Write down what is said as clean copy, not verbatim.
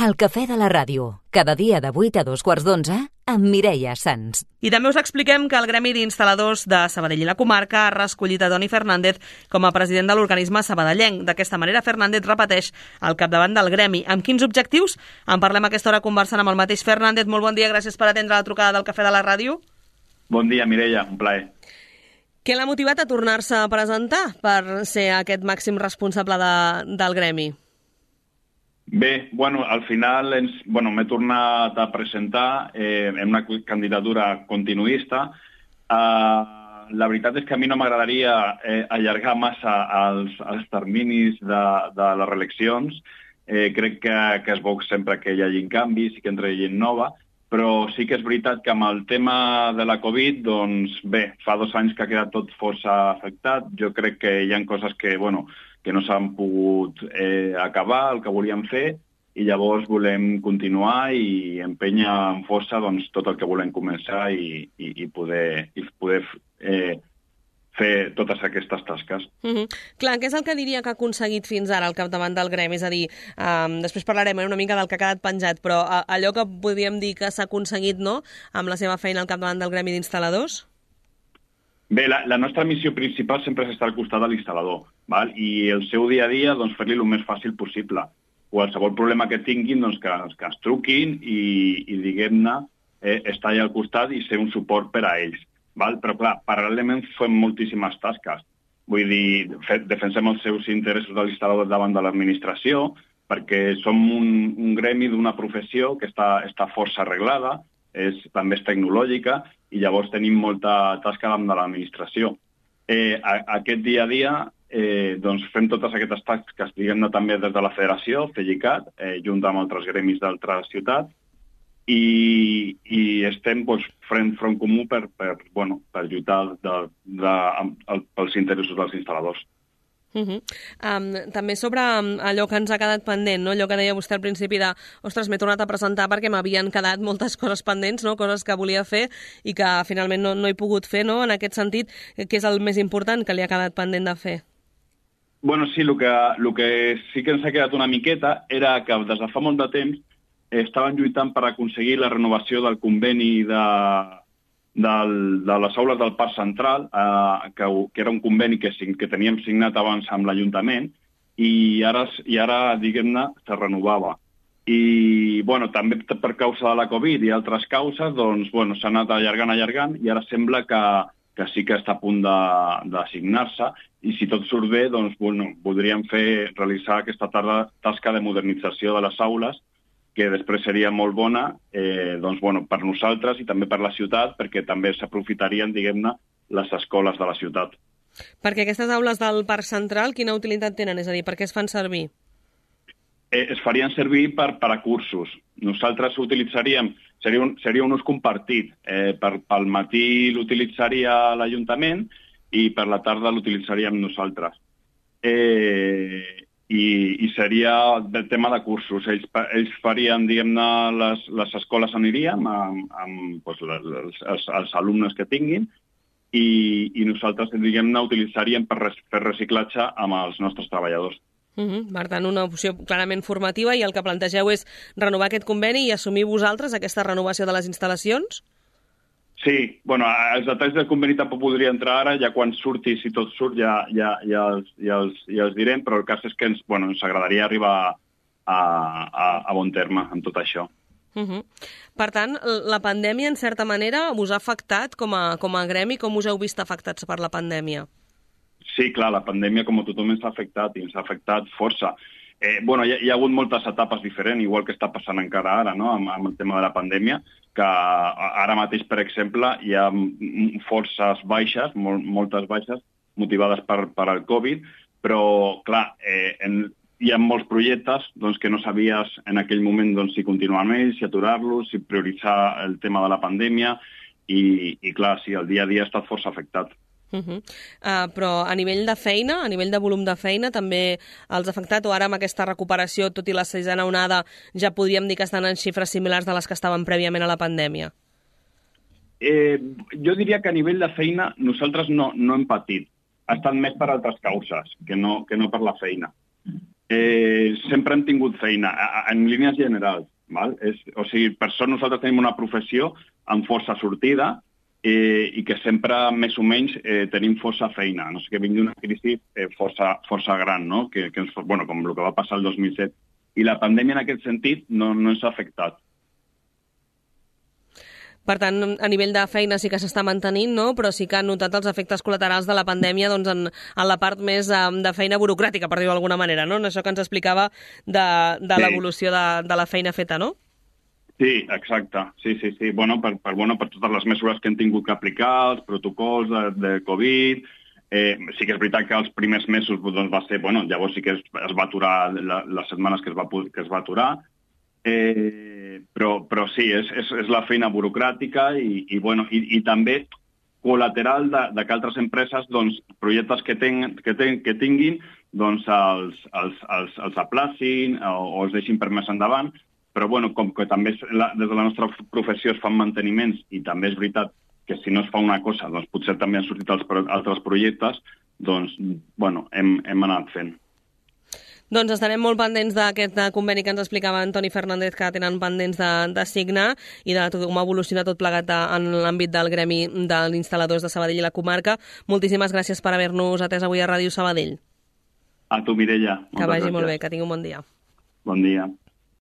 El cafè de la ràdio, cada dia de 8 a 2:15, amb Mireia Sans. I també us expliquem que el Gremi d'Instal·ladors de Sabadell i la comarca ha reescollit a Toni Fernández com a president de l'organisme sabadellenc. D'aquesta manera, Fernández repeteix al capdavant del Gremi. Amb quins objectius? En parlem a aquesta hora conversant amb el mateix Fernández. Molt bon dia, gràcies per atendre la trucada del cafè de la ràdio. Bon dia, Mireia, un plaer. Què l'ha motivat a tornar-se a presentar per ser aquest màxim responsable del Gremi? Bé, al final m'he tornat a presentar en una candidatura continuista. La veritat és que a mi no m'agradaria allargar massa els terminis de les reeleccions. Crec que és bo sempre que hi hagi canvis i que entri gent nova, però sí que és veritat que amb el tema de la Covid, fa 2 anys que ha quedat tot força afectat. Jo crec que hi ha coses que no s'han pogut acabar, el que volíem fer, i llavors volem continuar i empènyer amb força tot el que volem començar i poder fer totes aquestes tasques. Clar, què és el que diria que ha aconseguit fins ara al capdavant del Gremi? És a dir, després parlarem una mica del que ha quedat penjat, però allò que podríem dir que s'ha aconseguit, no?, amb la seva feina al capdavant del Gremi d'Instal·ladors? Bé, la nostra missió principal sempre és estar al costat de l'instal·lador, i el seu dia a dia fer-li el més fàcil possible. Qualsevol problema que tinguin, que ens truquin i diguem-ne, estar allà al costat i ser un suport per a ells. Però, clar, paral·lelament fem moltíssimes tasques. Vull dir, defensem els seus interessos de l'instal·lador davant de l'administració, perquè som un gremi d'una professió que està força arreglada, també és tecnològica, i llavors tenim molta tasca davant de l'administració. Aquest dia a dia fem totes aquestes tasques, diguem-ne, també des de la federació, FEGICAT, junt amb altres gremis d'altres ciutats, i estem fent front comú per lluitar pels interessos dels instal·ladors. També sobre allò que ens ha quedat pendent, no? Allò que deia vostè al principi de ostres, m'he tornat a presentar perquè m'havien quedat moltes coses pendents, no? Coses que volia fer i que finalment no he pogut fer, no? En aquest sentit, què és el més important que li ha quedat pendent de fer? Sí, el que sí que ens ha quedat una miqueta era que des de fa molt de temps estaven lluitant per aconseguir la renovació del conveni de les aules del Parc Central, que era un conveni que teníem signat abans amb l'Ajuntament, i ara diguem-ne, se renovava. I, també per causa de la Covid i altres causes, s'ha anat allargant, i ara sembla que sí que està a punt de signar-se, i si tot surt bé, podríem realitzar aquesta tasca de modernització de les aules, que després seria molt bona per nosaltres i també per la ciutat, perquè també s'aprofitarien, diguem-ne, les escoles de la ciutat. Perquè aquestes aules del Parc Central, quina utilitat tenen? És a dir, per què es fan servir? Es farien servir per a cursos. Nosaltres utilitzaríem, seria un ús compartit. Pel matí l'utilitzaria l'Ajuntament i per la tarda l'utilitzaríem nosaltres. I seria del tema de cursos. Ells farien, diguem-ne, les escoles aniríem amb els alumnes que tinguin i nosaltres, diguem-ne, utilitzaríem per fer reciclatge amb els nostres treballadors. Per tant, una opció clarament formativa, i el que plantegeu és renovar aquest conveni i assumir vosaltres aquesta renovació de les instal·lacions? Sí, els detalls del conveni tampoc podria entrar ara, ja quan surti, si tot surt, ja els direm, però el cas és que ens agradaria arribar a bon terme amb tot això. Per tant, la pandèmia, en certa manera, us ha afectat com a gremi? Com us heu vist afectats per la pandèmia? Sí, clar, la pandèmia, com a tothom, ens ha afectat, i ens ha afectat força. Hi ha hagut moltes etapes diferents, igual que està passant encara ara, no?, amb el tema de la pandèmia, que ara mateix, per exemple, hi ha forces baixes, moltes baixes, motivades per el Covid, però, clar, hi ha molts projectes que no sabies en aquell moment si continuar amb ells, si aturar-los, si prioritzar el tema de la pandèmia, i clar, sí, el dia a dia ha estat força afectat. Però a nivell de feina, a nivell de volum de feina, també els ha afectat, o ara amb aquesta recuperació, tot i la 6a onada, ja podríem dir que estan en xifres similars de les que estaven prèviament a la pandèmia? Jo diria que a nivell de feina nosaltres no hem patit. Ha estat més per altres causes que no per la feina. sempre hem tingut feina, en línies generals. Val? O sigui, per sort nosaltres tenim una professió amb força sortida i que sempre, més o menys, tenim força feina. No sé, que vingui una crisi força gran, no? Bueno, com el que va passar el 2007. I la pandèmia, en aquest sentit, no ens ha afectat. Per tant, a nivell de feina sí que s'està mantenint, no? Però sí que han notat els efectes col·laterals de la pandèmia doncs, en la part més de feina burocràtica, per dir-ho d'alguna manera, no? En això que ens explicava de l'evolució de la feina feta, no? Sí, exacte. Sí. Bueno, per totes les mesures que hem tingut que aplicar, els protocols de Covid. Sí que és veritat que els primers mesos doncs, va ser... Bueno, llavors sí que es va aturar les setmanes que es va aturar. Però sí, és la feina burocràtica i també col·lateral de que altres empreses, doncs, projectes que tinguin, doncs els aplacin o els deixin per més endavant. Però bueno, com que també des de la nostra professió es fan manteniments i també és veritat que si no es fa una cosa, doncs potser també han sortit altres projectes, doncs, bueno, hem anat fent. Doncs estarem molt pendents d'aquest conveni que ens explicava Antoni Fernández que tenen pendents de signar i de com ha evolucionat tot plegat en l'àmbit del gremi dels instal·ladors de Sabadell i la comarca. Moltíssimes gràcies per haver-nos atès avui a Ràdio Sabadell. A tu, Mireia. Que vagi molt bé, que tingui un bon dia. Bon dia.